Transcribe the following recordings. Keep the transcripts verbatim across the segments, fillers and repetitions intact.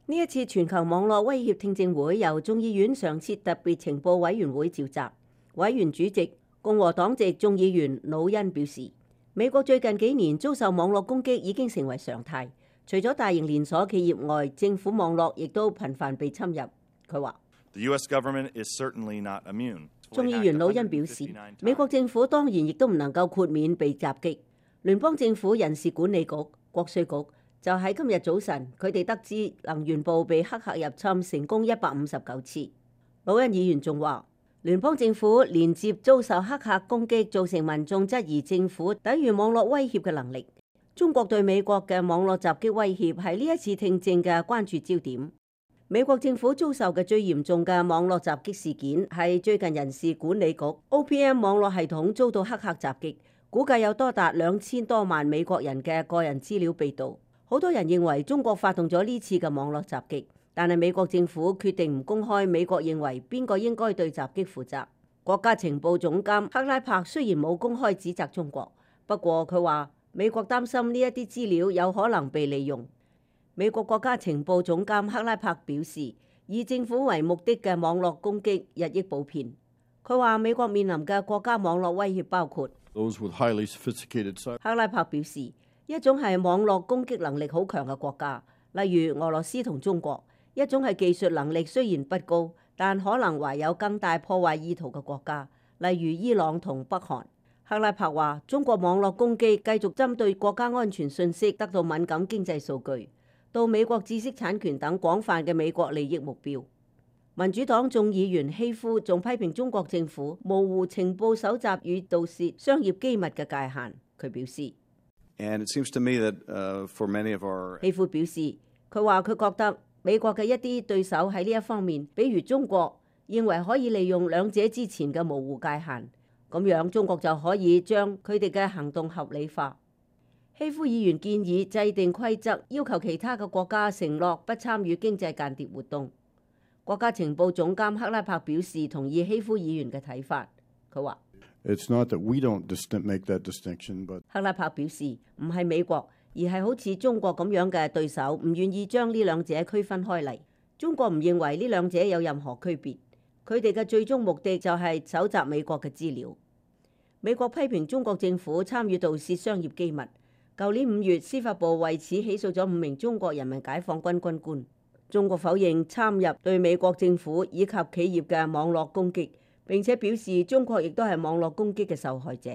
呢一次全球網絡威脅聽證會由眾議院常設特別情報委員會召集，委員主席共和黨籍眾議員魯恩表示，美國最近幾年遭受網絡攻擊已經成為常態，除咗大型連鎖企業外，政府網絡亦都頻繁被侵入。佢話，眾議員魯恩表示，美國政府當然亦都唔能夠豁免被襲擊。聯邦政府人事管理局、國稅局就喺今日早晨，佢哋得知能源部被黑客入侵成功一百五十九次。魯恩議員仲話，聯邦政府連接遭受黑客攻擊，造成民眾質疑政府抵禦網絡威脅嘅能力。中國對美國嘅網絡襲擊威脅係呢一次聽證嘅關注焦點。美國政府遭受嘅最嚴重嘅網絡襲擊事件係最近人事管理局 O P M 網絡系統遭到黑客襲擊，估計有多達兩千多萬美國人嘅個人資料被盜。好多人認為中國發動咗呢次嘅網絡襲擊，但係美國政府決定唔公開美國認為邊個應該對襲擊負責。國家情報總監克拉柏雖然冇公開指責中國，不過佢話美國擔心呢一啲資料有可能被利用。美國國家情報總監克拉柏表示，以政府為目的嘅網絡攻擊日益普遍。佢話美國面臨嘅國家網絡威脅包括，克拉柏表示，一種係網絡攻擊能力好強嘅國家，例如俄羅斯同中國；一種係技術能力雖然不高，但可能懷有更大破壞意圖嘅國家，例如伊朗同北韓。克拉柏話，中國網絡攻擊繼續針對國家安全信息得到敏感經濟數據，到美國知識產權等廣泛嘅美國利益目標。民主黨眾議員希夫仲批評中國政府模糊情報搜集與盜竊商業機密嘅界限。佢表示，希夫表示，佢話佢覺得美國嘅一啲對手喺呢一方面，比如中國，認為可以利用兩者之前嘅模糊界限，咁樣中國就可以將佢哋嘅行動合理化。希夫議員建議制定規則，要求其他嘅國家承諾不參與經濟間諜活動。國家情報總監克拉柏表示同意希夫議員嘅睇法。佢話，It's not that we don't make that distinction, but 克拉柏表示唔係美國，而係好似中國咁樣嘅對手唔願意將呢兩者區分開嚟。中國唔認為呢兩者有任何區別，佢哋嘅最終目的就係搜集美國嘅資料。美國批評中國政府參與盜竊商業機密。舊年五月，司法部為此起訴咗五名中國人民解放軍軍官。中國否認參入對美國政府以及企業嘅網絡攻擊，並且表示中國亦都係網絡攻擊嘅受害者。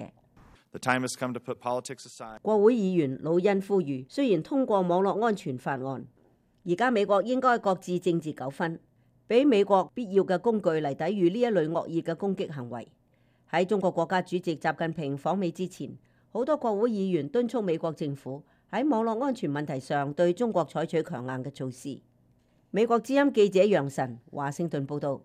國會議員魯恩呼籲，雖然通過網絡安全法案，而家美國應該擱置政治糾紛，俾美國必要嘅工具嚟抵禦呢一類惡意嘅攻擊行為。喺中國國家主席習近平訪美之前，好多國會議員敦促美國政府喺網絡安全問題上對中國採取強硬嘅措施。美國之音記者楊晨華盛頓報道。